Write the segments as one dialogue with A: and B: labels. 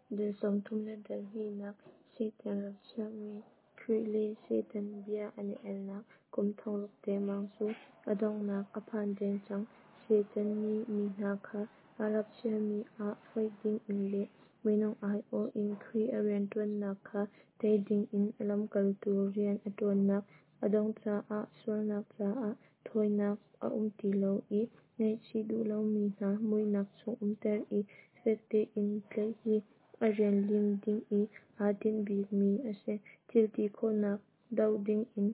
A: Dal 32nak Satan rap chiahmi Khrih le Satan bia an i alnak kum 6000 dengmang cu a donghnak a phan deng cang. Satan nih mi hna kha a rap chiahmi ah foih dingin le minung aiawh in Khrih a rianṭuannak kha tei dingin a lamkaltu rian a ṭuannak a dongh caah sualnak caah thawinak a um ti lo i ngaihchih duh lomi hna muihnak chung umter i fek tein tlaih hi a rian lim ding i aa tinh bikmi a si. Thil ti khawhnak doh dingin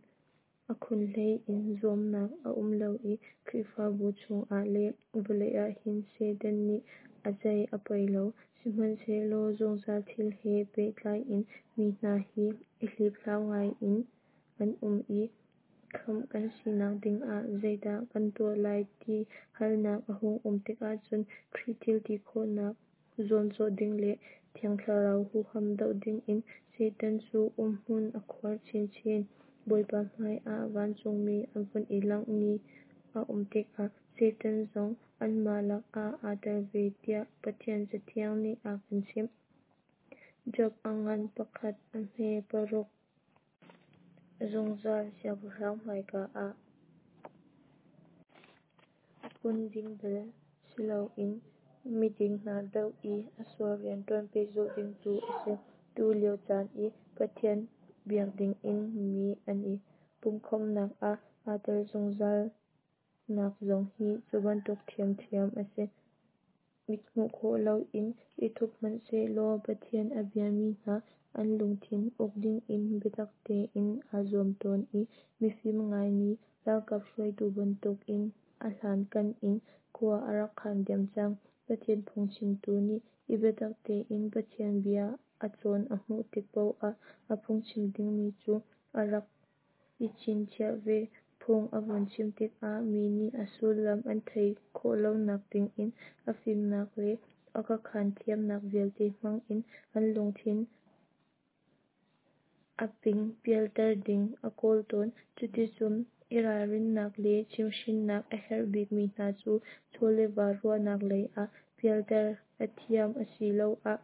A: a khunhlei in zuamnak a um lo i Khrihfabu chungah le vawlei ah hin Satan nih a zei a poi lo. Sihmanhsehlaw zungzal thil he pehtlai in mi hna hi i hliphlau ngaiin an um i khamh kan sinak dingah zeidah kan tuah lai ti halnak a hung um tikah cun Khrih thil ti khawhnak zuamcawh ding le Thiang Thlarau huham doh dingin Satan cu umhmun a khuar chinchin. Bawipa hmaiah vancungmi an vun i langh ni a um tikah Satan zong anmah lakah aa tel ve tiah Pathian Cathiang nih a kan chimh. Job a ngan pakhat a hme paruk. Zungzal Siangpahrang hmaika ah kun ding bal si loin miding hna doh i a sual rianṭuan pehzulh ding tu a si. Tu lio caan i Pathian biak dingin mi an i pumhkhawmhnak ah aa tel zungzalnak zong hi cu bantuk ṭhiamṭhiam a si. Mit hmuh khawh loin i thup hmanhsehlaw Pathian a biami hna an lungthin uk dingin biatak tein aa zuam tawn i mifim ngaimi ralkap hruaitu bantukin a hlankan in khua a rak khan diam cang. Pathian phungchimtu nih i biatak tein Pathian bia a cawn a hmuh tik paoh ah a phungchim dingmi cu a rak i chinchiah ve. Phung a vun chim tikah mi nih a sullam an theih khawh lonak dingin a fimnak le a khaakhan thiamnak vialte hmang in an lungthin a ping pialter ding a kawl tawn. Cuticun i ralrinnak le chimhhrinnak a herh bikmi hna cu chaw le va ruahnak lei ah pialter a thiam asiloah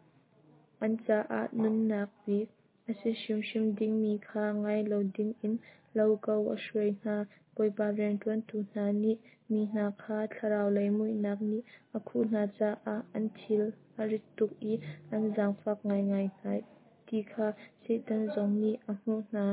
A: an caah nunnak bik a si hrimhrim dingmi kha ngai lo dingin lo ko a hruai hna. Bawipa rianṭuantu hna nih mi hna kha thlarau lei muihnak nih a khuh hna caah an thil a rit tuk i an zaangfak ngaingai hna ti kha Satan zong nih a hmuh hna.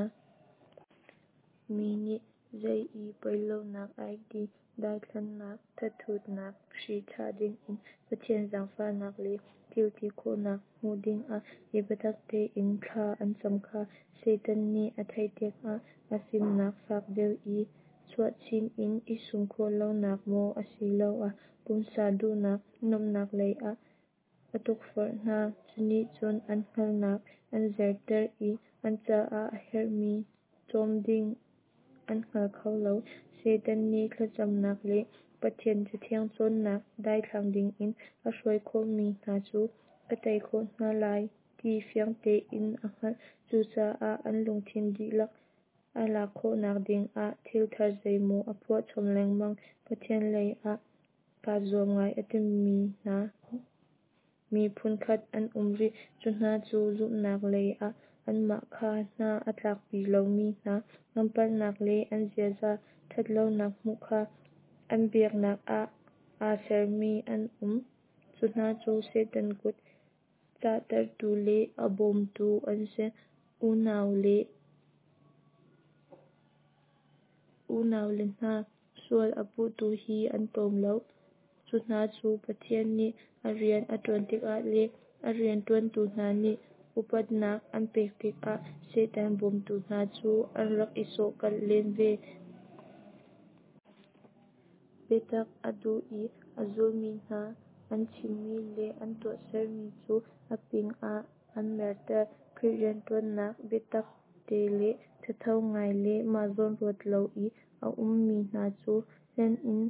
A: Mi nih zei i poi lonak ai ti daithlannak, thathutnak hri thlah dingin Pathian zaangfahnak le thil ti khawhnak hmuh dingah i biatak tein thla an cam kha Satan nih a theih tikah a fimnak fak deuh i chuah chin in i sum khawh lonak maw asiloah pumsa duhnak nuamhnak lei ah a tukforh hna. Cu nih cun an hngalhnak an zerter i an caah a herhmi cawm ding an hngal kho lo. Satan nih thlacamnak le Pathian Cathiang cawnnak daithlang dingin a hruai khawhmi hna cu ka tei khawh hna lai ti fiang tein a hngalh. Cucaah an lungthin dihlak a lak khawhnak dingah thil thar zeimaw a phuah chom lengmang. Pathian lei ah kaa zuam ngai a timi hna mi phunkhat an um rih. Cu hna cu zumhnak lei ah anmah kha hna a tlakpi lomi hna an palhnak le an ziaza ṭhatlonak hmuh kha an biaknak ah aa sermi an um. Cu hna cu Satan kut cahtertu le a bawmtu an si. Unau le hna, sual a puhtu hi an tlawm lo. Cu hna cu Pathian nih a rian a ṭuan tikah le a rianṭuantu hna nih upatnak an pek tikah Satan bawmtu hna cu an rak i sawhkalh len ve. Biatak a duh i a zulmi hna an chimmi le an tuahsermi cu a ping ah an merter. Khrih rianṭuannak biatak te le thatho ngai le mah zawn ruat lo i a ummi hna cu hlen in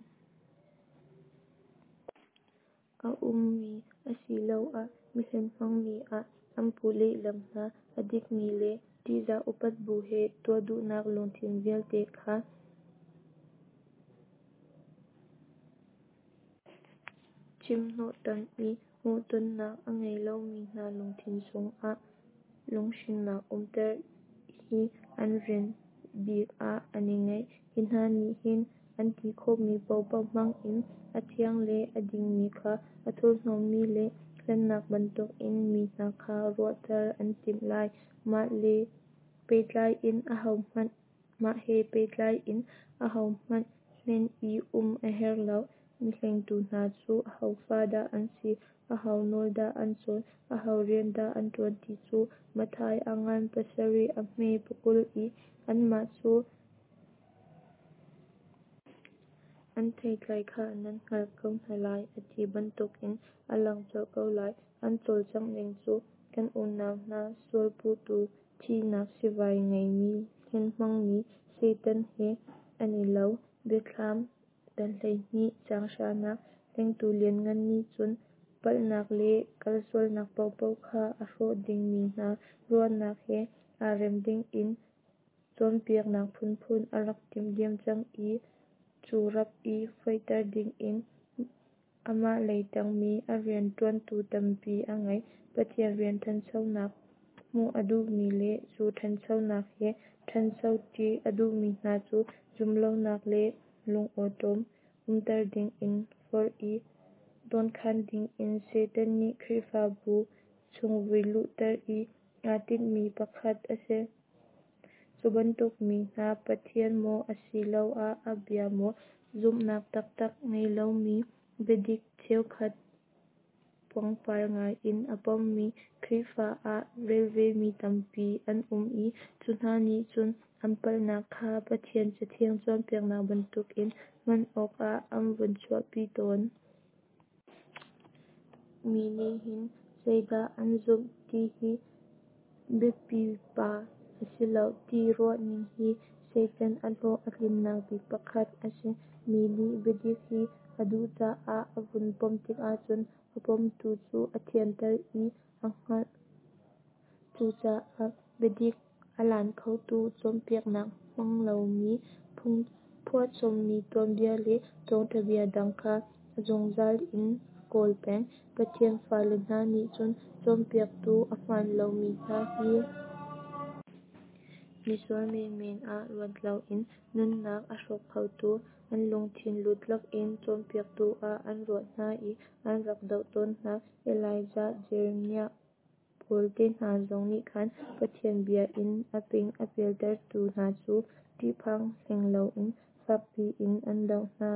A: a ummi asiloah mihlen hmangmi ah an puh lehlam hna. A dikmi le ṭihzah upat bu he tuah duhnak lungthin vialte kha chimhnawhtan i. Hmuhtonnak a ngei lomi hna lungthin chungah lunghrinnak umter hi an rian bik ah an i ngeih. Hi hna nih hin an ti khawhmi paohpaoh hmangin a thiang le a dingmi kha a thurhnawmmi le hlennak bantukin mi hna kha ruahter an timh lai. Mah he pehtlai in ahohmanh hlen i um a herh lo. Mihlengtu hna cu aho fa dah an si, aho nawl dah an cawn, aho rian dah an ṭuan ti cu Matthai a ngan pasarih a hme pakul i anmah cu an theitlai kha nan hngalh ko hna lai, a ti bantukin a lang colh ko lai. An cawlcangh ning cu kan unau hna sualpuhtu, thihnak sivai ngeimi hlenhmangmi Satan he an i lo. Biathlam dal 12 caang hranak Hlengtu lianngan nih cun palhnak le kalsualnak paohpaoh kha a hrawh ding mi hna ruahnak he aa rem dingin cawnpiaknak phunphun a rak timh diam cang i cu rap i foihter dingin amah lei ṭangmi a rianṭuantu tampi a ngei. Pathian rian ṭhanchonak hmuh a duhmi le cu ṭhanchonak he ṭhancho ṭi a duhmi hna cu zumhlonak le lungawṭawm umter dingin forh i dawnkhan dingin Satan nih Khrihfabu chung vui luhter hi aa tinhmi pakhat a si. Cu bantuk mi hna Pathian maw asiloah a bia maw zumhnak taktak ngei lomi, biadik cheukhat puangpar ngaiin a pommi Khrihfa aa rel vemi tampi an um i cu hna nih cun an palhnak kha Pathian Cathiang cawnpiaknak bantukin hman awkah an vun chuahpi tawn. Mi nih hin zeidah an zumh ti hi biapipa a si lo ti ruahning hi Satan a hlawh a tlinnak bik pakhat a si. Mi nih biadik hi a duh caah a vun pom tikah cun a pomtu cu a thianter i a hngalh. Cucaah biadik a lan khotu cawnpiaknak hmang lomi phuahchommi tuanbia le thawngṭhabia dang kha a zungzal in a kawl peng. Pathian fale hna nih cun cawnpiaktu a hmaan lomi hna hi misual menmen ah ruat loin nunnak a hrawk khotu, an lungthin lut lakin cawnpiaktu ah an ruah hna i an rak doh tawn hna. Elijah, Jeremiah, Paul te hna zong nih khan Pathian bia in a ping a pialtertu hna cu ṭihphang hleng loin fakpi in an doh hna.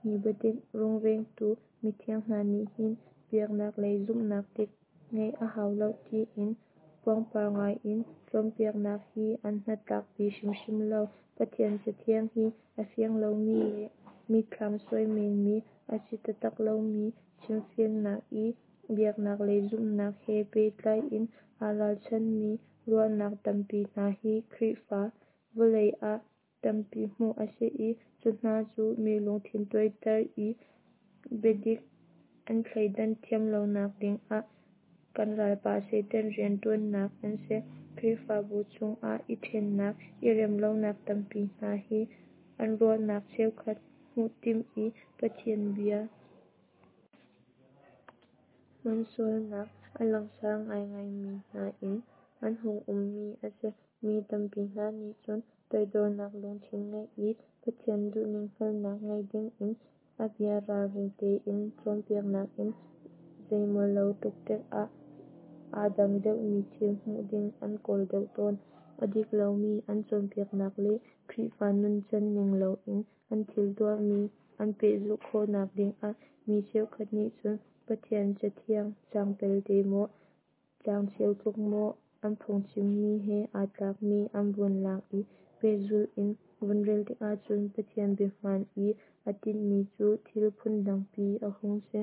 A: Hi biadik rungvengtu mithiang hna nih hin biaknak lei zumhnak dik ngeih a hau lo tiin puangpar ngaiin cawnpiaknak hi an hnatlakpi hrimhrim lo. Pathian Cathiang hi a fiang lomi le mitthlam suai menmi a si taktak lomi chimfiannak i biaknak lei zumhnak he pehtlai in aa ralchanmi ruahnak tampi hna hi Khrihfa vawlei ah tampi hmuh a si i cu hna cu mi lungthin tuaiter i biadik an thleidan thiam lonak dingah kan ralpa Satan rianṭuannak an si. Khrihfabu chungah i ṭhennak, i remlonak tampi hna hi an ruahnak cheukhat hmuh timh i Pathian bia hmansualnak a langsar ngaingaimi hna in an hung ummi a si. Mi tampi hna nih cun toidornak lungthin ngeih i Pathian duhning hngalhnak ngei dingin a bia ralring tein cawnpiaknak in zeimaw lo ṭukṭek ah aa dang deuhmi thil hmuh ding an kawl deuh tawn. A dik lomi an cawnpiaknak le Khrihfa nuncan ning loin an thil tuahmi an pehzulh khawhnak dingah mi cheukhat nih cun Pathian Cathiang caang pelte maw, caang cheu tluk maw an phungchimmi he aa tlakmi an vun lak i pehzulh in vun rel tikah cun Pathian bia hmaan i aa tinhmi cu thil phundangpi a hung si.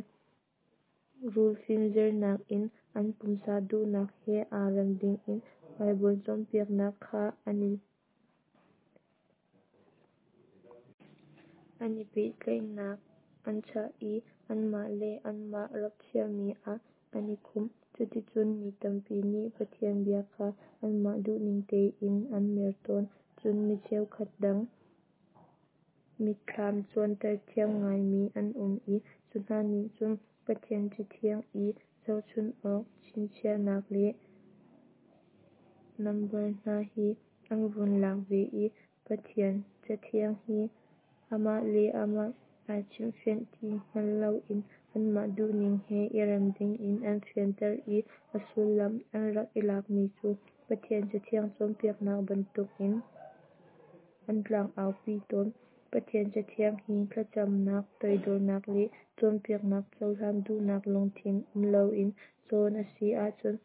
A: Rul fimzirnak in an pumsa duhnak he aa rem dingin Baibal cawnpiaknak kha an i pehtlaihnak an chah i anmah le anmah rap chiami ah an i khumh. Cuticun mi tampi nih Pathian bia kha anmah duhning tein an mer tawn. Cun mi cheukhat dang mitthlam cuanter thiam ngaimi an um i Cu hna nih cun Pathian Cathiang i zohchun awk chinchiahnak le nambar hna hi an vun lak ve i Pathian Cathiang hi amah le amah ai chimhfianh ti hngal loin anmah duhning he i rem dingin an fianter i a sullam an rak i lakmi cu Pathian Cathiang cawnpiaknak bantukin an tlangau pi tawn. Pathian Cathiang hi thlacamnak, toidornak le cawnpiaknak cohlan duhnak lungthin um loin cawn a si ahcun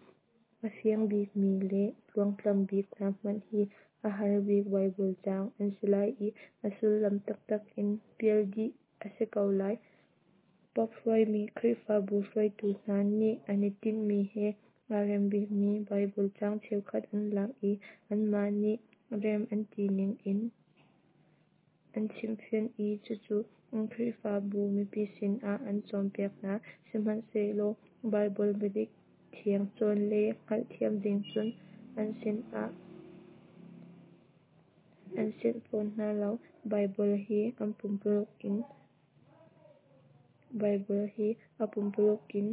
A: a fiang bikmi le tluangtlam bik hna hmanh hi a har bik Baibal caang an si lai i a sullam taktak in pial dih a si ko lai. Pope hruaimi Khrihfabu hruaitu hna nih an i tinhmi he aa rem bikmi Baibal caang cheukhat an lak i anmah nih rem an ti ning in an chimhfianh i cucu an Khrihfabu mipi sinah an cawnpiak hna. Sihmanhsehlaw Baibal biadik thiang cawn le hngalhthiam ding cun an sinah an sianh fawn hna lo. Baibal hi an pumpuluk in Baibal hi a pumpuluk in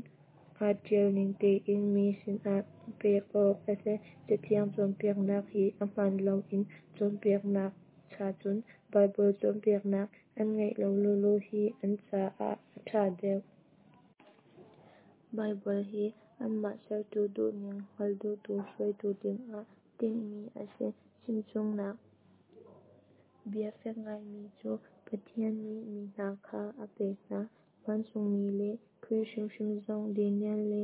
A: aa ṭial ning tein mi sinah pek awk a si. Cathiang cawnpiaknak hi a hmaan loin cawnpiaknak cha cun Baibal cawnpiaknak an ngaih lo lawlaw hi an caah a ṭha deuh. Baibal hi anmah sertu duhning hngal duhtu hruaitu dingah tinhmi a si. Chimchungnak bia fek ngaimi cu Pathian nih mi hna kha a pek hna. Vancungmi le Khrih hrimhrim zong Daniel le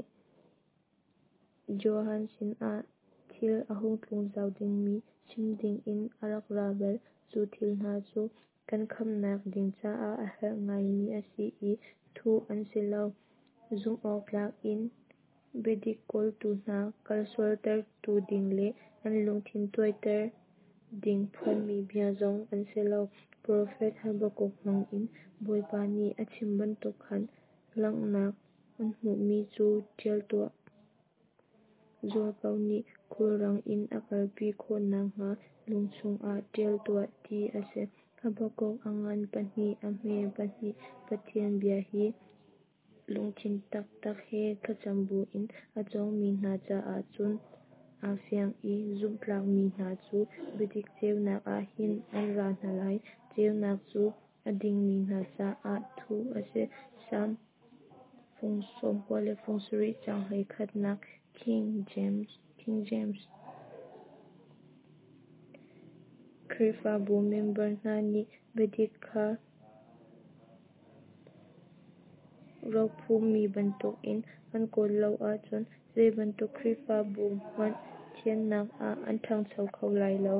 A: Johan sinah thil a hung tlung zau dingmi chim dingin a rak ra bal. Cu thil hna cu kan khamhnak ding caah a herh ngaimi a si i thuh an si lo. Zumhawktlak in biadik kawltu hna kalsualtertu ding le an lungthin tuaiter ding phuanmi bia zong an si lo. Profet Habakkuk hmangin Bawipa nih a chim bantuk khan langhnak an hmuhmi cu ṭial tuah. Zualko nih khulrang in a kalpi khawh nakhnga lung chungah ṭial tuah ti a si. Habakkuk a ngan pahnih a hme pahnih. Pathian bia hi lungthin taktak he thlacam buin a cawngmi hna caah cun aa fiang i zumhtlakmi hna cu biadik ceunak ah hin an ra hna lai. Ceunak cu a dingmi hna caah thuh a si. Salm fung 90 le fung 70 caang 11nak King James King James. Khrihfabu member hna nih biadik kha rophummi bantukin an kawl lo ahcun zeibantuk Khrihfabu hmanh thiannak ah an ṭhangcho kho lai lo.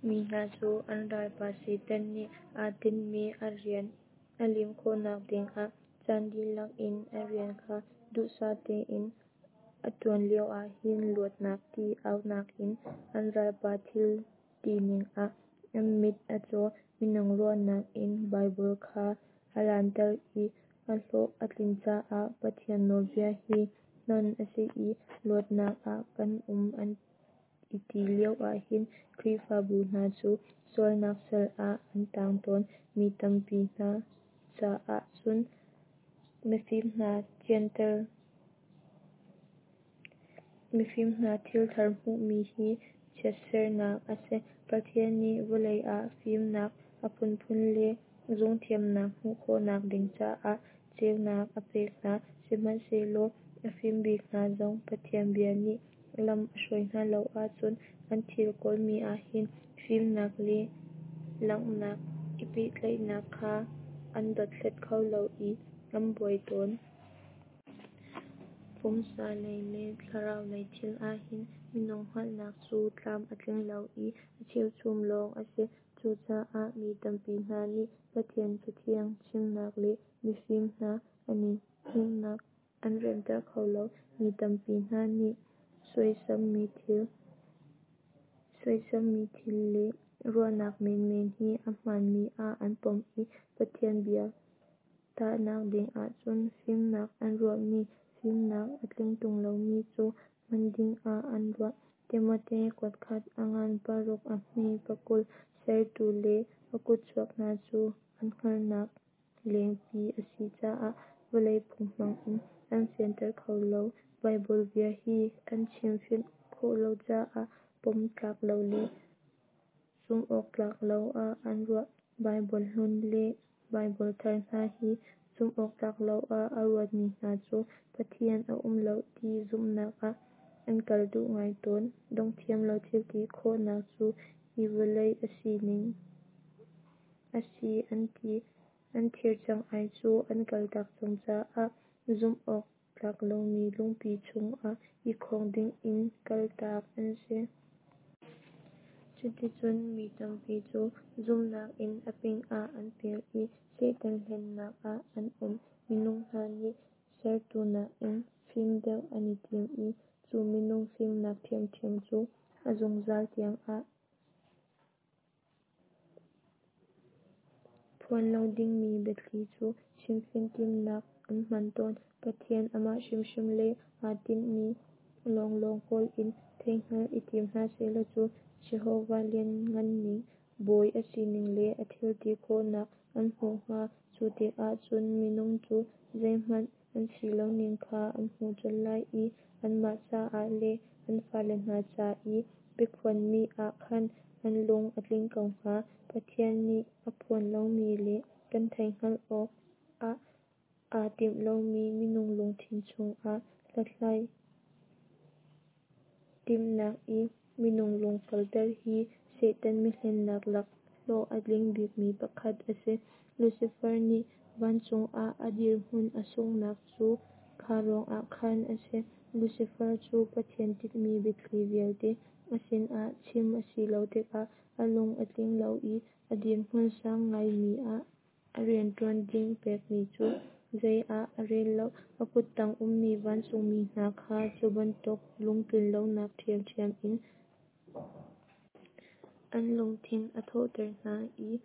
A: Mi hna cu an ralpa Satan nih aa tinhmi a rian a lim khawhnak dingah caan dihlak in a rian kha duhsah tein a ṭuan lioah hin luatnak ti aunak in an ralpa thil tining ah an mit a caw. Minung ruahnak in Baibal kha a lanter i a hlawh a tlin caah Pathian nawlbia hi hnon a si i luatnak ah kan um an i ti lioah hin Khrihfabu hna cu sualnak sal ah an tang tawn. Mi tampi hna caah cun mifim hna thianter Mifim hna thilthar hmuhmi hi chiatsernak a si. Pathian nih vawlei ah fimnak a phunphun le zungthiamnak hmuh khawhnak ding caah ceunak a pek hna. Sihmanhsehlaw a fim bik hna zong Pathian bia nih lam a hruai hna lo ahcun an thil kawlmi ah hin fimnak le langhnak i pehtlaihnak kha an dothlat kho lo i an buai tawn. Pumsa lei le thlarau lei thil ahhin minung hngalhnak cu tlam a tling lo i a cheuchum lawng a si. Cucaah mi tampi hna nih Pathian Cathiang chimnak le mifim hna an i hmuhnak an remter kho lo. Mi tampi hna nih suaisammi thil suaisammi thil le ruahnak menmen hi a hmaanmi ah an pom i Pathian bia tahnak ding ahcun fimnak an ruahmi fimnak a tling ṭung lomi cu hman dingah an ruah. Timote kuatkhat a ngan paruk a hme 20. Sertu le a kutchuak hna cu an hngalhnak lengpi a si caah vawlei phung hmangin an fianter kho lo. Baibal bia hi an chimfianh khawh lo caah pom tlak lo le zumh awk tlak lo ah an ruah. Baibal hlun le Baibal thar hna hi zumh awk tlak lo ah a ruatmi hna cu Pathian a um lo ti zumhnak ah an kal duh ngai tawn. Dongthiam lo thilti khawhnak cu hi vawlei a sining a si an ti. An thir cang-ai cu an kaltak cang caah zumh awk tlak lomi lungpi chungah i khawng dingin kaltak an si. Cuticun mi tampi cu zumhnak in a ping ah an pial i Satan hlennak ah an um. Minung hna nih sertu nakin fim deuh an i tim i cu minung fimnak ṭhiamṭhiam cu a zungzal tiangah phuan lo dingmi biathli cu chimfian timhnak an hman tawn. Pathian amah hrimhrim le aa tinhmi lawnglawng kawl in theihhngalh i tim hna sehlaw cu Jehovah lianhnganning, Bawi a sining le a thilti khawhnak an hmuh hnga. Cu tikah cun minung cu zeihmanh an si loning kha an hmuh colh lai i anmah caah le an fale hna ca i biaphuanmi ah khan an lung a tling ko hnga. Pathian nih a phuan lomi le kan theihhngalh awk ah aa timh lomi minung lungthin chungah hlathlai timhnak i minung lung kalter hi Satan mihlennak lak hlawh a tling bikmi pakhat a si. Lucifer nih vancung ah a dirhmun a sunghnak cu kha ruangah khan a si. Lucifer cu Pathian tinhmi biathli vialte a sinah chim a si lo tikah a lung a tling lo i a dirhmun sang ngaimi ah a rianṭuan ding pekmi cu zei ah a rel lo. A kuttang ummi vancungmi hna kha cu bantuk lungtlinlonak ṭhiamṭhiam in an lungthin a thawhter hna i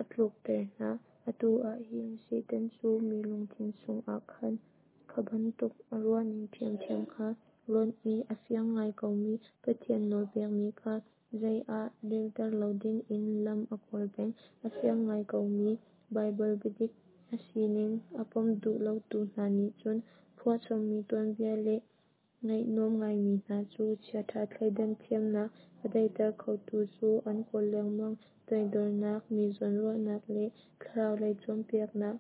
A: a tlukter hna. Atu ah hin Satan cu mi lungthin chungah khan kha bantuk a ruahning ṭhiamṭhiam kha hlonh i a fiang ngai komi Pathian nawl pekmi kha zei ah relter lo dingin lam a kawl peng. A fiang ngai komi Baibal biadik a sining a pom duh lotu hna nih cun phuahchommi tuanbia le ngaih nuam ngaimi hna cu chiaṭha thleidan thiamnak a daihter khotu cu an kawl lengmang. Toidornak, mi zawnruahnak le thlarau lei cawnpiaknak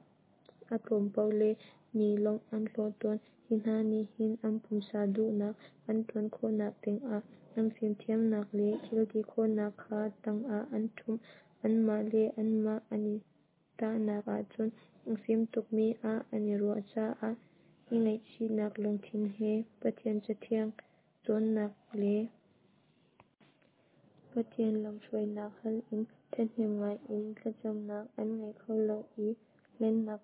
A: a tlawm paoh le mi lawmh an hlawh tawn. Hi hna nih hin an pumsa duhnak an ṭuan khawhnak dingah an fimthiamnak le thilti khawhnak kha tangah an ṭhumh. Anmah le anmah an i tahnak ahcun a fim tukmi ah an i ruah caah i ngaihchihnak lungthin he Pathian Cathiang cawnnak le Pathian lamhruainak hal in ṭhahnem ngaiin thlacamnak an ngei kho lo i hlennak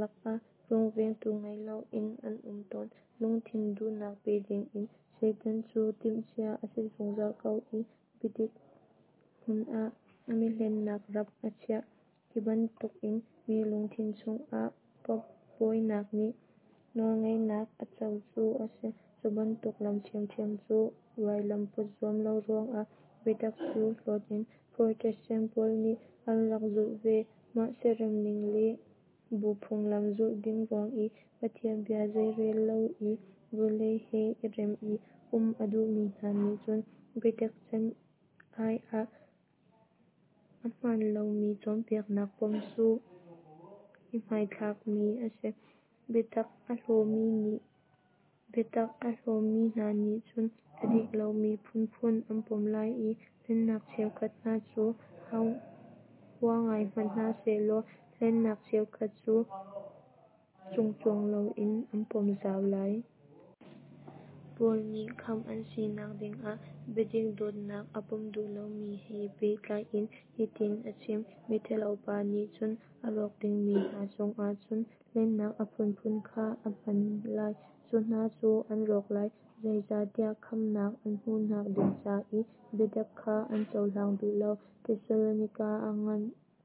A: lakah rungvengtu ngei loin an um tawn. Lungthin duhnak pe dingin Satan cu timhcia a si zungzal ko i biadik hmun ah a mihlennak rap a chiah. Hi bantukin mi lungthin chungah Pope bawinak nih nawlngeihnak a co cu a si. Cu bantuk lam ṭhiamṭhiam cu vailam put zuam lo ruangah biatak cu hlawt in Protestant pawl nih an rak zulh ve. Mah siaremning le bu phunglam zulh ding ruang i Pathian bia zeirel lo i vawlei he i rem i um a duhmi hna nih cun biatak can ai ah a hmaan lomi cawnpiaknak pom cu i hmaithlakmi a si. Biatak a hlawmi hna nih cun a dik lomi phunphun an pom lai i hlennak cheukhat hna cu hua ngai hmanh hna sehlaw hlennak cheukhat cu cungcuang loin an pom zau lai. Paul nih khamh an sinak dingah biadik dawtnak a pom duh lomi he pehtlai in hitin a chim: Miṭhalo pa nih cun a rawk dingmi hna cungah cun hlennak a phunphun kha a hman lai, cu hna cu an rawk lai, zeicahtiah khamhnak an hmuhnak ding ca i biatak kha an cohlang duh lo.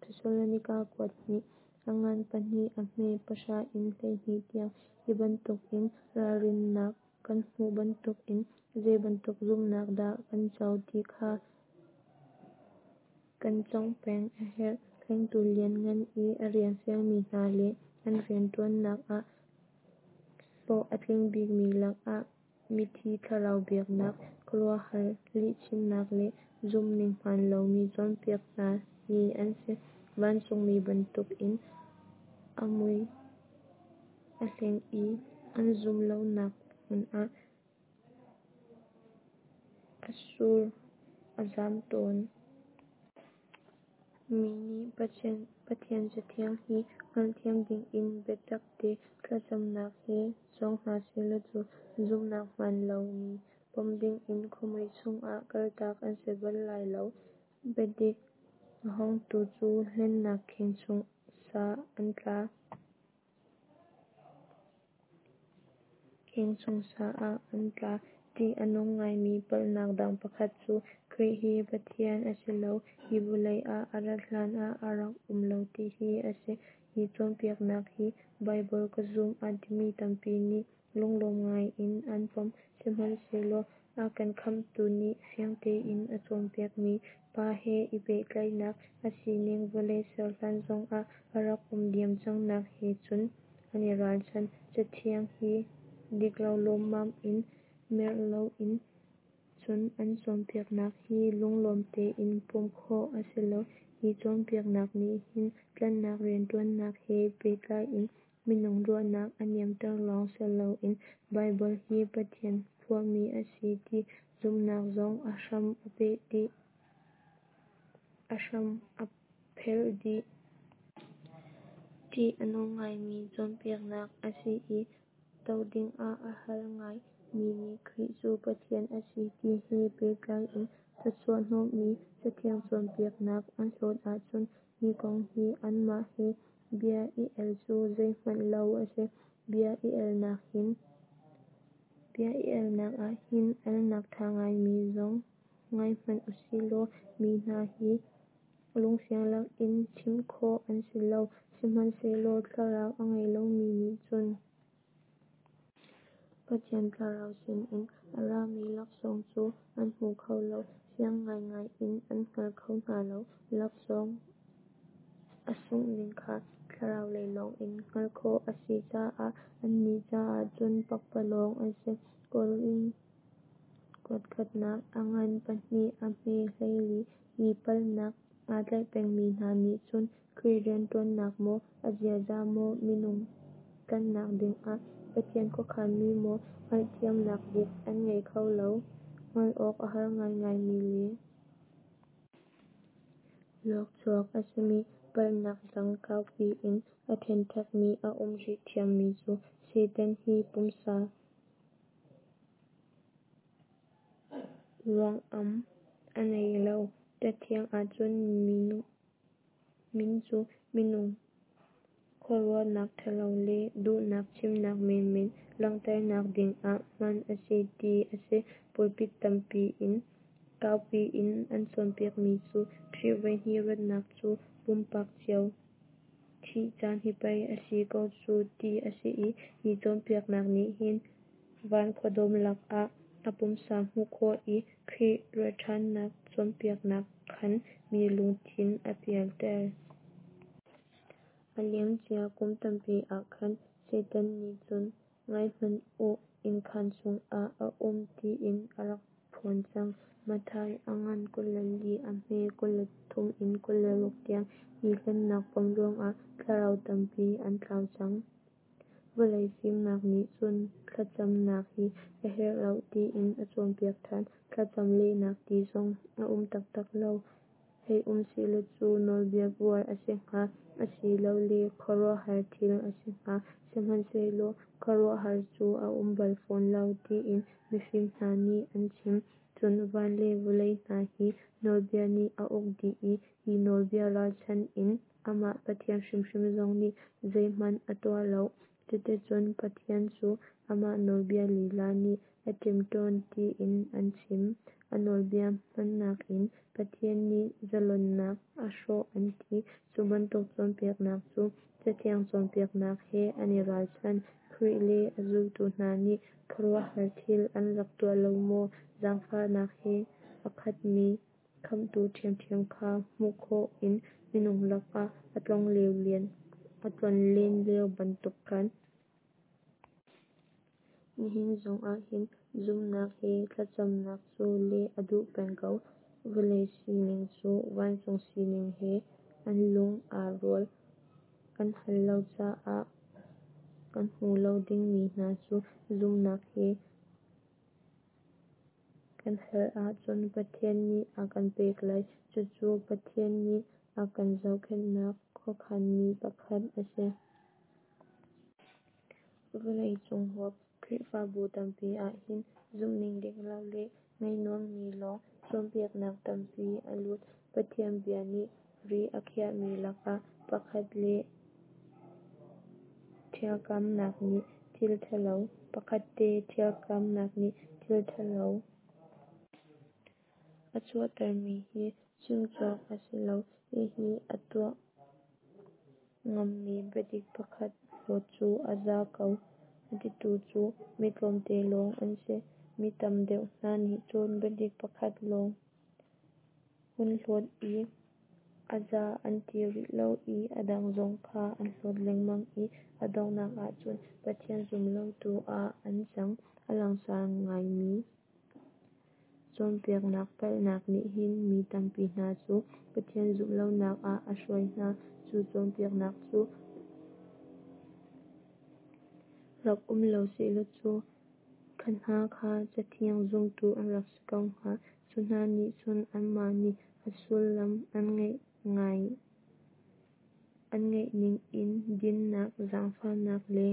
A: Thesalonika kuat hnih, a ngan pahnih a hme pahra in 12 tiang. Hi bantukin ralrinnak kan hmuh bantukin zeibantuk zumhnak dah kan co ti kha kan cawngh peng a herh. Hlengtu lianngan i a rian fialmi hna le an rianṭuannak ah hlawh a tling bikmi lakah mithi thlarau biaknak, khuaruahhar lihchimnak le zumhning hmaan lomi cawnpiak hna hi an si. Vancungmi bantukin a mui a hleng i an zumh lonak hmun ah a sur a zam tawn. Mi nih Pathian Cathiang hi hngalhthiam dingin biatakte thlacamnak he cawng hna sehlaw cu zumhnak hmaan lomi pom dingin khuamui chungah kaltak an si bal lai lo. Biadik a hawngtu cu hlennak kheng chung sa ah an tla. Ṭih a nung ngaimi palhnak dang pakhat cu Khrih hi Pathian a si lo, hi vawlei ah a rat hlanah a rak um lo ti hi a si. Hi cawnpiaknak hi Baibal ka zum a timi tampi nih lunglawm ngaiin an pom. Sihmanhsehlaw a kan Khamhtu nih fiang tein a cawnpiakmi, Pa he i pehtlaihnak, a sining, vawlei ser hlan zongah a rak um diam cangnak he cun an i ralchan. Cathiang hi diklo lawmmam in merh loin cun an cawnpiaknak hi lunglawm tein pom khawh a si lo. Hi cawnpiaknak nih hin tlanhnak rianṭuannak he pehtlai in minung ruahnak a niamter lawng si loin Baibal hi Pathian phuahmi a si ti zumhnak zong a hram a phelh dih. Ṭih a nung ngaimi cawnpiaknak a si i doh dingah a har ngai. Mi nih Khrih cu Pathian a si ti he pehtlai in thawchuah hnawhmi Cathiang cawnpiaknak an hlawt ahcun hi kong hi anmah he bia i el cu zeihmanh lo a si. Bia i elnak ah hin alnak ṭha ngaimi zong ngai hmanh usihlaw mi hna hi lungfiang lakin chimh khawh an si lo. Sihmanhsehlaw Thlarau a ngei lomi nih cun Pathian Thlarau sinin a rami laksawng cu an hmu kho lo, fiang ngaingai in an hngal kho hna lo. Laksawng a sunghning kha Thlarau lei lawngin hngalh khawh a si caah annih caah cun pakpalawng a si. Korin kuatkhatnak a ngan pahnih a hme 14. Hi palhnak aa tlaih pengmi hna nih cun Khrih rianṭuannak maw, a ziaza maw, minung tlanhnak dingah Pathian khuakhanmi maw hngalhthiamnak dik an ngei kho lo. Hngalh awk a har ngaingaimi le luakchuak a simi palhnak dang kaupi in aa ṭhenṭhekmi a um rih ṭhiammi cu Satan hi pumsa ruangam a ngei lo. Cathiang ahcun min cu minung khuaruahnak ṭhalo le duhnak chimnak menmen langhternak dingah hman a si ti a si. Pulpit tampi in kaupi in an cawnpiakmi cu Khrih voihnih ratnak cu pumpak cio thih caan hi pei a si ko cu ti a si i hi cawnpiaknak nih hin van khuadawm lakah a pumsa hmuh khawh i Khrih ratṭhannak cawnpiaknak khan mi lungthin a pialter. A liamcia kum tampi ah khan Satan nih cun ngaihmanh u, innkhan chungah a um tiin a rak phuan cang. Matthai a ngan 24 a hme 23 in 26 tiang. Hi hlennak pom ruangah thlarau tampi an tlau cang. Vawlei fimnak nih cun thlacamnak hi a herh lo tiin a cawnpiak ṭhan. Thlacam lehnak ti zong a um taktak lo. Hei um sehlaw cu nawlbia buar a si hnga, asilole khuaruahhar thil a si hnga. Sihmanhsehlaw khuaruahhar cu a um bal fawn lo tiin mifim hna nih an chim. Cun van le vawlei hna hi nawlbia nih a uk dih i hi nawlbia ralchanh in amah Pathian hrimhrim zong nih zeihmanh a tuah lo. Cuticun Pathian cu amah nawlbia lila nih a ṭemṭawn tiin an chim. A nawlbia hmannak in Pathian nih zalonnak a hrawh an ti. Cu bantuk cawnpiaknak cu Cathiang cawnpiaknak he an i ralchan. Khrih le a zultu hna nih khuaruahhar thil an rak tuah lo maw? Zaangfahnak he a khatmi Khamhtu ṭhiamṭhiam kha hmuh khawh in minung lakah a tlonlen lio bantuk khan. Nihin zongah hin zumhnak he thlacamnak cu leh a duh peng ko. Vawlei sining cu vancung sining he an lung aa rual. Kan hal lo caah kan hmuh lo dingmi hna cu zumhnak he kan hal ahcun Pathian nih a kan pek lai. Cucu Pathian nih a kan zohkhenhnak khuakhanmi pakhat a si. Vawlei cung huap Khrihfabu tampi ah hin zumhning dik lo le ngaih nuammi lawng cawnpiaknak tampi a lut. Pathian bia nih ri a khiahmi lakah pakhat le ṭhialkamnak nih thil ṭhalo pakhatte ṭhialkamnak nih thil ṭhalo a chuahtermi hi chim cawk a si lo. Hihi a tuah ngammi biadik pakhat hlawt cu a za ko a titu cu mi tlawmte lawng an si. Mi tam deuh hna nih cun biadik pakhat lawng hun hlawt i a za an ti rih lo i a dang zong kha an hlawt lengmang i a donghnak ahcun Pathian zum lotu ah an cang. A langsar ngaimi cawnpiaknak palhnak nih hin mi tampi hna cu Pathian zumh lonak ah a hruai hna. Cu cawnpiaknak cu rak um lo sehlaw cu kha hna kha Cathiang zumtu an rak si ko hnga. Cu hna nih cun anmah nih a sullam an ngeih ning in dinnak, zaangfahnak le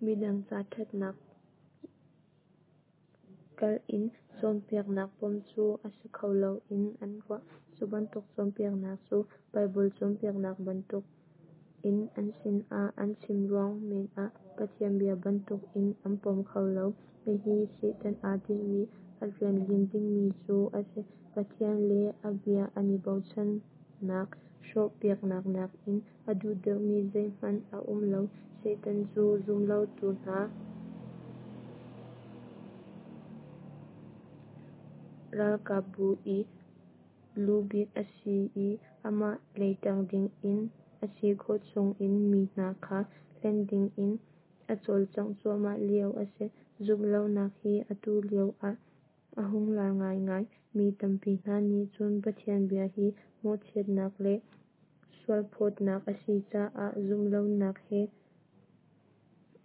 A: midang ca ṭhatnak kalh in cawnpiaknak pom cu a si kho lo in an ruah. Cu bantuk cawnpiaknak cu Baibal cawnpiaknak bantuk in an sinah an chim ruang men ah Pathian bia bantuk in an pom kho lo. Hihi Satan aa tinhmi, a rian lim dingmi cu a si. Pathian le a bia an i bochannak hrawhpiaknak nakin a duh deuhmi zeihmanh a um lo. Satan cu zumlotu hna ralkapbu i lubik a si i amah lei ṭang dingin a si khawh chungin mi hna kha hlen dingin a cawlcangh cuahmah lio a si. Zumh lonak hi atu lio ah a hung lar ngaingai. Mi tampi hna nih cun Pathian bia hi mawhchiatnak le sualphawtnak a si caah zumh lonak he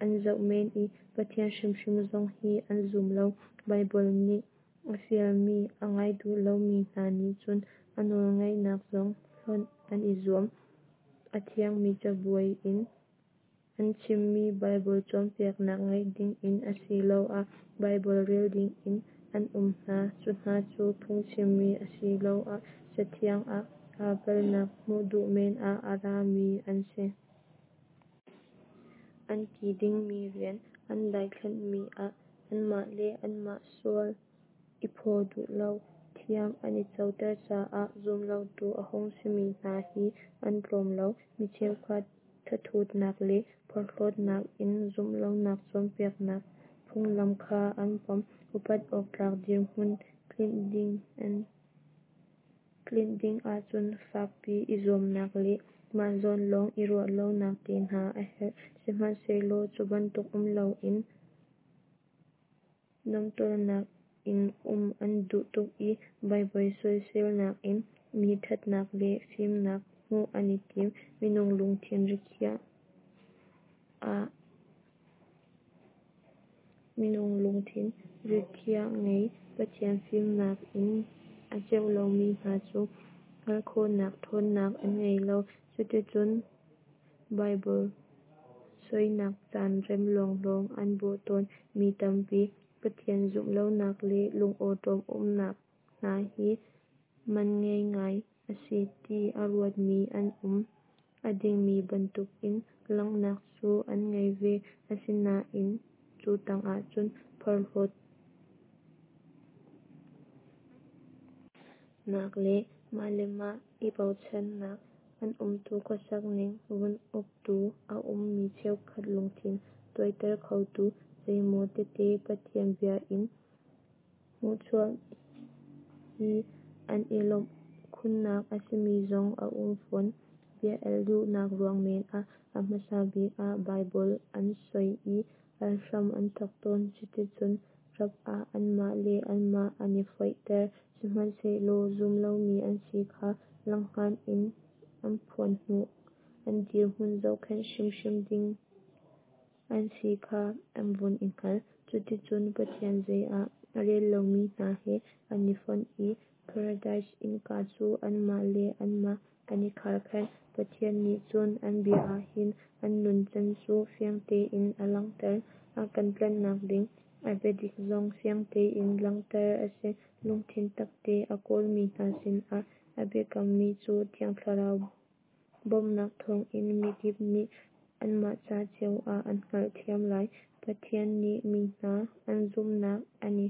A: an zoh men i Pathian hrimhrim zong hi an zum lo. Baibal nih a fialmi a ngai duh lomi hna nih cun a nawlngaihnak zong hlonh an i zuam. A thiangmi cabuai in an chimmi Baibal cawnpiaknak ngaih dingin asiloah Baibal rel dingin an um hna. Cu hna cu phungchimmi asiloah Cathiang ah aa palhnak hmuh duh men ah a rami an si. An ti dingmi rian an daithlanhmi ah anmah le anmah sual i phaw duh lo, thiam an i coter caah zumlotu a hung simi hna hi an tlawm lo. Mi cheukhat thathutnak le porhlawtnak in zumh lonak cawnpiaknak phunglam kha an pom. Upat awktlak dirhmun tlinh ding ahcun fakpi i zuamnak le mah zawn lawng i ruah lonak te hna a herh. Sihmanhsehlaw cu bantuk um loin nuamhtawlnak in um an duh tuk i Baibal soiselnak in mi ṭhatnak le fimnak hmuh an i tim. Minung lungthin rikhiah ngei, Pathian fimnak in a ceuh lomi hna cu hngalh khawhnak ṭhawnnak an ngei lo. Cuticun Baibal soinak caan rem lawnglawng an bawh tawn. Mi tampi Pathian zumh lonak le lungawṭawm umnak hna hi man ngei ngai a si ti a ruatmi an um. A dingmi bantukin langhnak cu an ngei ve, asinain cu tangah cun porhlawtnak le mah le mah i bochannak, an umtu khuasak ning vun uktu a um. Mi cheukhat lungthin tuaiter khotu zeimaw tete Pathian bia in hmuhchuah hi an i lawmh. khunnak a simi zong a um fawn. Bia el duhnak ruang men ah a hmasa bik ah Baibal an soi i al hram an thawk tawn. Cuticun rap ah anmah le anmah an i foihter. Sihmanhsehlaw zum lomi an si kha langhngan in an phuan hnu an dirhmun zohkhenh hrimhrim ding an si kha an vun i hngal. Cuticun Pathian zei ah a rel lomi hna he an i fonh i Paradis innka cu anmah le anmah an i kharkhenh. Pathian nih cun a bia ah hin an nuncan cu fiang tein a langhter. A kan tlanhnak ding a biadik zong fiang tein langhter a si. Lungthin tak te a kawlmi hna sinah a biakammi cu Thiang Thlarau bawmhnak thawngin mikip nih anmah ca cio ah an hngalhthiam lai. Pathian nih mi hna an zumhnak an i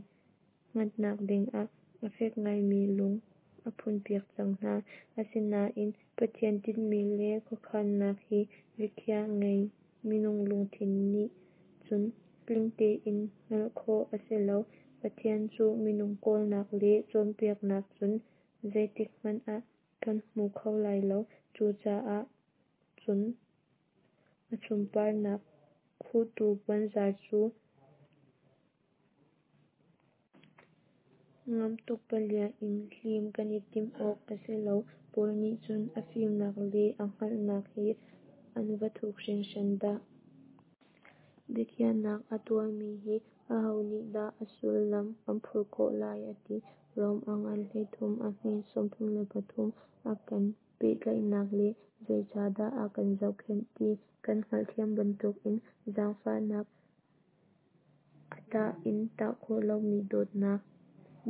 A: hngatnak dingah a fek ngaimi lung a phunpiak cang hna. Asinain Pathian tinhmi le khuakhannak hi rikhiah ngei minung lungthin nih cun tling tein hngalh khawh a si lo. Pathian cu minung kawlnak le cawnpiaknak cun zeitikhmanh ah kan hmu kho lai lo. Cucaah cun a sunparnak khuhtu puanzar cu ngamh tuk palia in hlim kan i timh awk a si lo. Paul nih cun a fimnak le a hngalhnak hi an va thuk hringhran dah! Biakhiahnak a tuahmi hi aho nih dah a sullam an phurh khawh lai, a ti. Rom a ngan 13 a hme 33. A kan pehtlaihnak le zeicahdah a kan zohkhenh ti kan hngalhthiam bantukin zaangfahnak, a tah in tah khawh lomi dawtnak,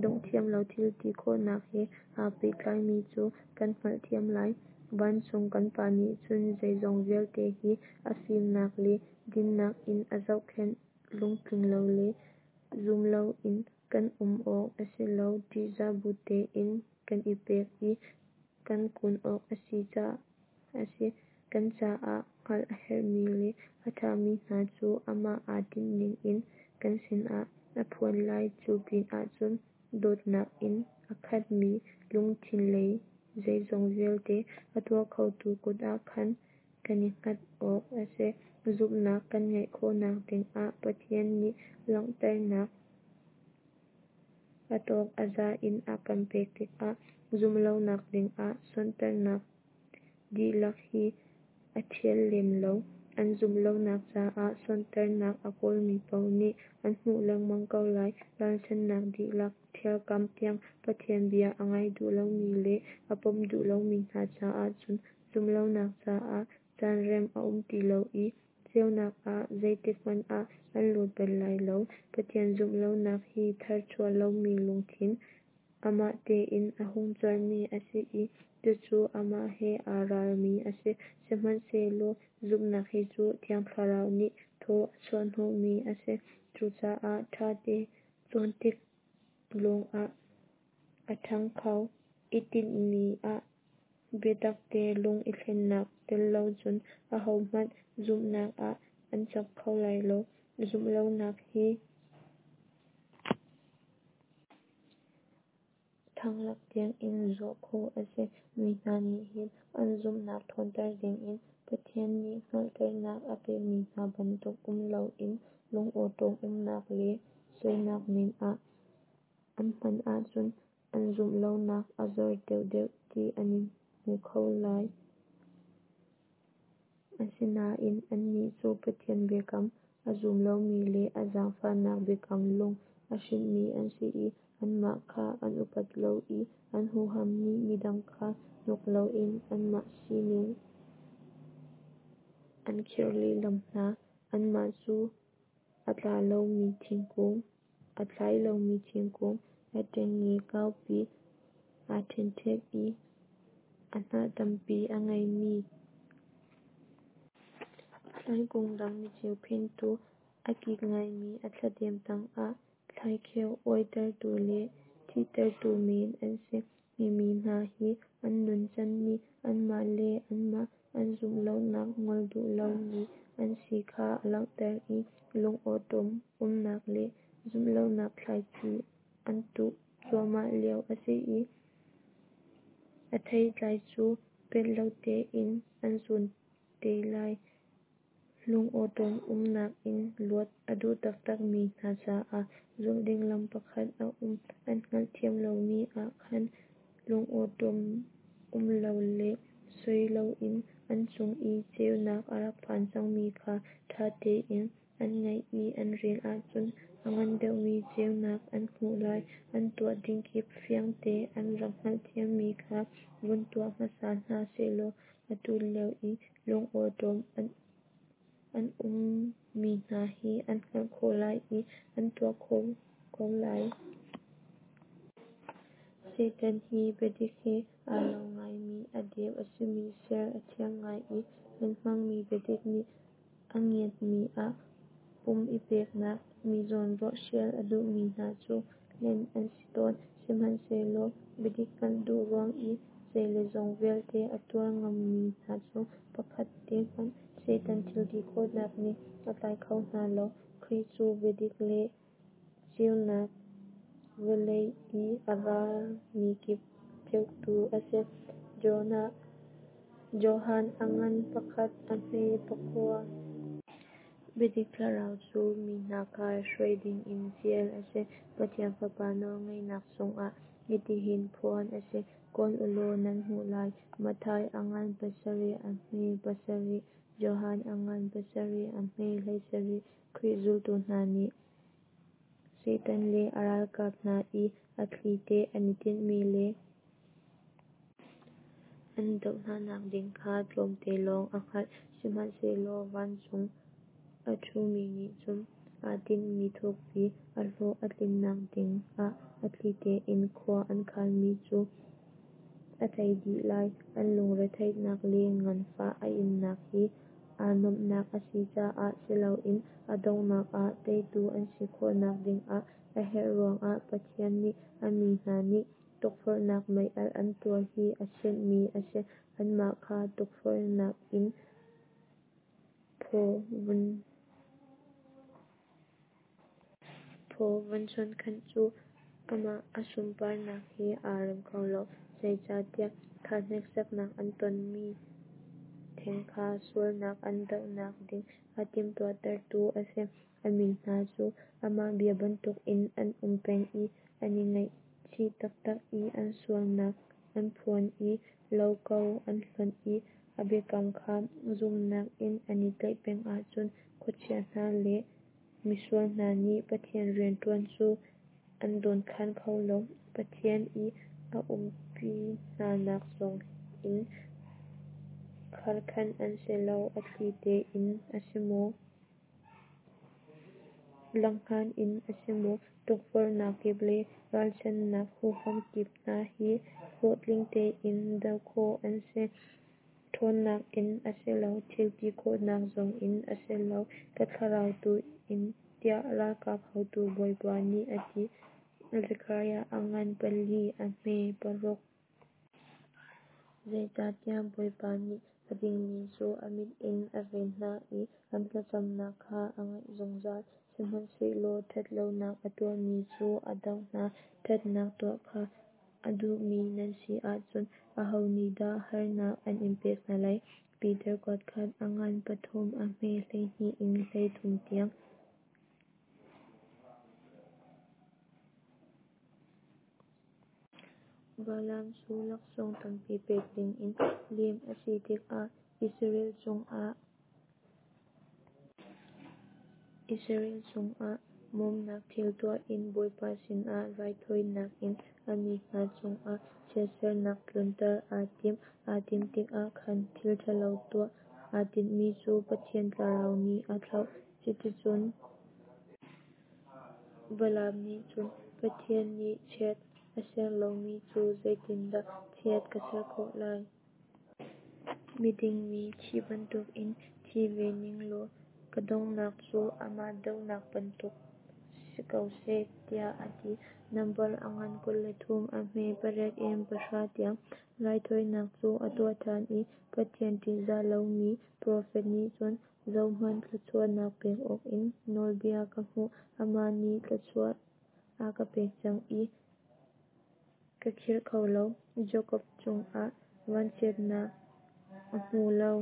A: donghthiam lo thil ti khawhnak he aa pehtlaimi cu kan hngalhthiam lai. Vancung kan Pa nih cun zeizong vialte hi a fimnak le dinnak in a zohkhenh. Lungtling lo le zum loin kan um awk a si lo. Ṭihzah bu tein kan i pek i kan kun awk a si. Kan caah hngalh a herhmi le a ṭhami hna cu amah aa tinhning in kan sinah a phuan lai. Cu pinah cun dawtnak in a khatmi lungthin le zeizong vialte a tuah khotu kut ah khan kan i hngat awk a si. Zumhnak kan ngeih khawhnak dingah Pathian nih langhternak a tawk a za in a kan pek tikah zumhlonak dingah sonhtarhnak dihlak hi a ṭhial lem lo. An zumhlonak caah sonhtarhnak a kawlmi paoh nih an hmuh lengmang ko lai. Ralchanhnak dihlak ṭhialkam tiang Pathian bia a ngai duh lomi le a pom duh lomi hna caah cun zumhlonak caah caan rem a um ti lo i ceunak ah zeitikhmanh ah an lut bal lai lo. Pathian zumhlonak hi tharchuah lomi lungthin amah tein a hung cuanmi a si i cucu amah he aa ralmi a si. Sihmanhsehlaw zumhnak hi cu Thiang Thlarau nih thaw a chuahhnawhmi a si. Cucaah ṭhate cawn tik lawngah a ṭhang kho. I tinhmi ah biatakte lung i thlennak tel lo cun ahohmanh zumhnak ah an cak kho lai lo. Zumhlonak hi thanglak tiangin zuah khawh a si. Mi hna nih hin an zumhnak ṭhawnter dingin Pathian nih hngalhternak a pekmi hna bantuk um loin lungawṭawm umnak le soinak men ah an hman ahcun an zumh lonak a zor deuhdeuh ti an i hmu kho lai. Asinain annih cu Pathian biakam a zum lomi le a zaangfahnak biakam lung a hrinhmi an si i anmah kha an upat lo i an huham nih midang kha hnuk loin anmah sining an khirh lehlam hna. Anmah cu a tla lomi thingkung, a tlai lomi thingkung, a ṭengnge kaupi aa ṭhenṭhek i a hnah tampi a ngeimi thlaikung dang niceu phentu, a kik ngaimi a thladem tangah thlaikheu uaitertu le thihtertu men an si. Hi mi hna hi an nuncan nih anmah le anmah an zumh lonak ngol duh lomi an si kha a langhter i lungawṭawm umnak le zumhlonak thlaici an tuh cuahmah lio a si. A theitlai cu pelh lo tein an zun te lai. Lungawṭawm umnak in luat a duh taktak mi hna caah zulh ding lam pakhat a um. An hngalhthiam lomi ah khan lungawṭawm um lo le soi loin an chung i ceunak a rak phan cangmi kha ṭha tein an ngaih i an rel ahcun a ngan deuhmi ceunak an hmuh lai. An tuah ding kip fiangte an rak hngalhthiammi kha vun tuah hmasa hna sehlaw atu lio i lungawṭawm an ummi hna hi an hngalh khawh lai i an tuah khawh ko lai. Satan hi biadik he aa lo ngaimi a deu a simi ser a thiam ngai i hlen hmangmi biadik nih a ngiatmi ah pum i peknak, mi zawnruah hrial a duhmi hna cu hlen an si tawn. Sihmanhsehlaw biadik hngalh duh ruang i zei le zong vialte a tuar ngammi hna cu pakhat te hmanh Satan thilti khawhnak nih a tlai kho hna lo. Khrih cu biadik le ceunak, vawlei i a ra mikip ceuhtu a si. Johan a ngan pakhat a hme pakua. Biadik Thlarau cu mi hna kha hruai dingin fial a si. Pathian Fapa nawlngeihnak chungah hitihin phuan a si: Kawl u law nan hmuh lai. Matthai a ngan pasarih a hme pasarih. Johan a ngan pasarih a hme 17. Khrih zultu hna nih Satan le a ralkap hna i a thlite an i tinhmi le an doh hnanak ding kha tlawmte lawng a hngalh. Sihmanhsehlaw vancung a ṭhumi nih cun aa tinhmi thukpi a hlawh a tlinnak ding ah a thli tein khua an khanmi cu a tei dih lai. An lungretheihnak le nganfah a innak hi aa nuamhnak a si caah si loin a donghnak ah teitu an si khawhnak dingah a herh ruangah Pathian nih a mi hna nih tukforhnak meialh an tuar hi a sianhmi a si. Anmah kha tukforhnak in phaw vun chuankhanh cu amah a sunparnak he aa rem kho lo. Zeicahtiah kha hneksaknak an tonmi theng kha sualnak an dohnak ding a timhtuahtertu a si. A mi hna cu amah bia bantukin an um peng i an i ngaihchih taktak i an sualnak an phuan i lo ko an hlonh i a biakam kha zumhnak in an i tlaih peng ahcun khuachia hna le misual hna nih Pathian rianṭuan cu an dawnkhan kho lo. Pathian i a umpi hnanak zong in kharkhanh an si lo. A thli tein a si maw, langhngan in a si maw, tukforhnak kip le ralchanhnak huham kip hna hi hlawhtling tein doh khawh an si. Ṭhawnnak in a si lo, thil ti khawhnak zong in a si lo, ka thlarau tu in, tiah ralkap haotu Bawipa nih a ti. Zekhariah a ngan pali a hme paruk. Zeicahtiah Bawipa nih a dingmi cu a mit in a ven hna i an thlacamnak kha a ngaih zungzal. Sihmanhsehlaw ṭhat lonak a tuahmi cu a doh hna. Ṭhatnak tuah kha a duhmi nan si ahcun aho nih dah harnak an in pek hna lai? Piter kuatkhat a ngan pathum a hme 12 in 13 tiang. Balaam cu laksawng tampi pek dingin lem a si tikah Israel cungah hmawmnak thil tuah in Bawipa sinah raithawinak in a mi hna cungah chiatsernak tlunter aa tim. Aa timh tikah khan thil ṭhalo tuah aa tinhmi cu Pathian Thlarau nih a thlauh. Cuticun Balaam nih cun, Pathian nih chiat a ser lomi cu zeitindah chiat ka ser khawh lai? Miding mi thi bantukin thi ve ning law ka donghnak cu amah donghnak bantuk si ko seh, tiah a ti. Nambar a ngan 23 a hme pariat in pahra tiang. Raithawinak cu a tuah ṭhan i Pathian ṭihzah lomi profet nih cun, Zohhmanh, thluachuahnak pek awkin nawlbia ka hmuh, amah nih thluachuah a ka pek cang i. ka khirh kho lo. Jakob cungah vanchiatnak a hmu lo.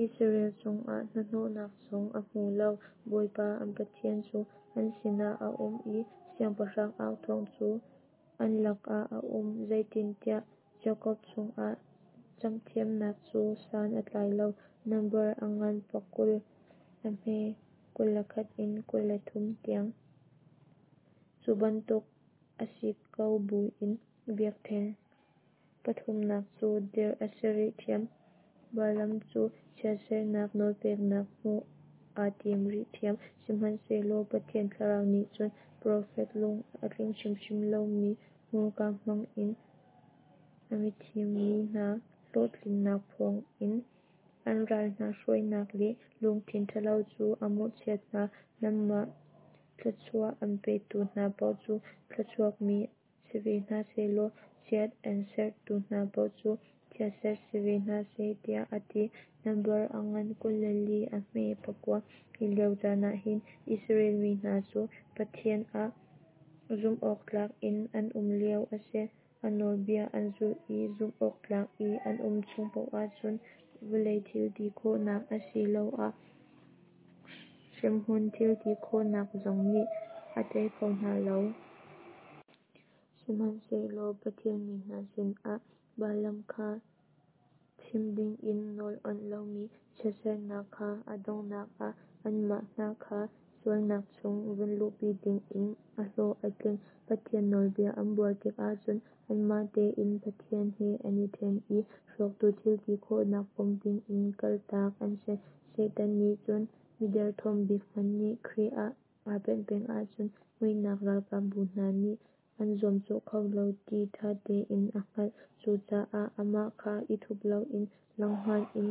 A: Israel cungah hnahnawhnak zong a hmu lo. Bawipa an Pathian cu an sinah a um i siangpahrang authawng cu an lakah a um. Zeitintiah Jakob chungah camhthiamnak cu san a tlai lo. Nambar a ngan 20 a hme 21 in 23 tiang. Cu bantuk a si ko buin biakṭheng pathumnak cu dirh a si rih ṭhiam. Balaam cu chiatsernak nawlpeknak hmuh aa tim rih ṭhiam. Sihmanhsehlaw Pathian Thlarau nih cun profet lung a tling hrimhrim lomi hmurka hmang in a mithim mi hna hlawhtlinnak phuang in an ral hna hruainak le lungthin ṭhalo cu a mawhchiat hna. Nangmah thluachuah an petu hna paoh cu thluachuakmi si ve hna seh law chiat an serhtu hna paoh cu chiatserh si ve hna seh, tiah a ti. Nambar a ngan 24 a hme 9. Hi lio caan ah hin Israel mi hna cu Pathian ah zumhawktlak in an um lio a si. A nawlbia an zulh i zumhawktlak i an um chung paoh ahcun vawlei thil ti khawhnak asiloah hremhmun thil ti khawhnak zong nih a tei kho hna lo. Sihmanhsehlaw Pathian mi hna sinah Balaam kha chim dingin nawl awnh lomi chiatsernak kha a donghnak ah anmah hna kha sualnak chung vun luhpi dingin a hlawh a tling. Pathian nawlbia an buar tikah cun anmah tein Pathian he an i ṭhen i hrawktu thil ti khawhnak pom dingin kaltak an si. Satan nih cun miderthawm bik hmanh nih Khrih ah aa penh peng ahcun muihnak ralkapbu hna nih an zuamcawh kho lo ti ṭha tein a hngalh. Cucaah amah kha i thup loin langhngan in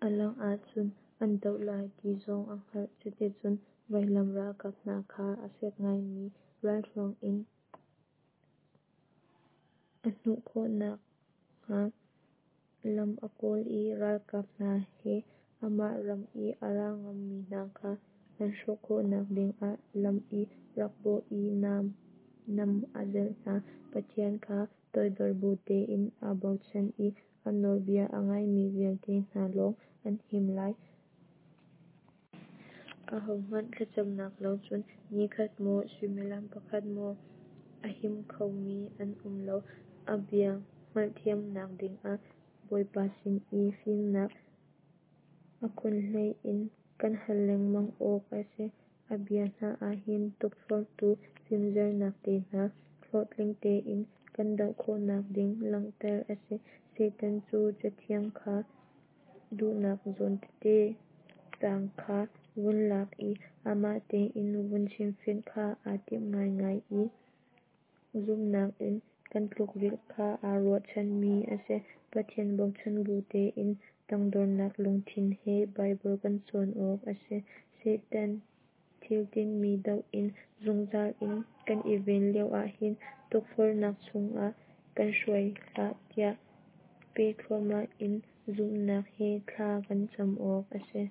A: a langh ahcun an doh lai ti zong a hngalh. Cuticun vailam ralkap hna kha a fek ngaimi ralhruang in a hnuh khawhnak hnga lam a kawl i ralkap hna he amah ram i a ra ngammi hna kha an hrawh khawhnak dingah lam i rak bawh i nam a zelh hna. Pathian kha toidor bu tein aa bochan i a nawlbia a ngaimi vialte hna lawng an him lai. Ahohmanh thlacamnak lo cun nikhat maw suimilam pakhat maw a him khomi an um lo. A bia hngalhthiamnak dingah Bawipa sin i fimnak a khunhlei in kan hal lengmang awk a si. A bia hna ah hin tukforhtu fimzernak te hna hlawhtling tein kan doh khawhnak ding langhter a si. Satan cu Cathiang kha duhnak zawn tete caang kha vun lak i amah tein vun chimfianh kha aa timh ngaingai i zumhnak in kan tlukrilh kha aa ruahchanmi a si. Pathian bochan bu tein tangdornak lungthin he Baibal kan cawn awk a si. Satan thil tinhmi doh in zungzal in kan i ven lioah hin tukforhnak chungah kan hruai hlah tiah pe thluahmah in zumhnak he thla kan cam awk a si.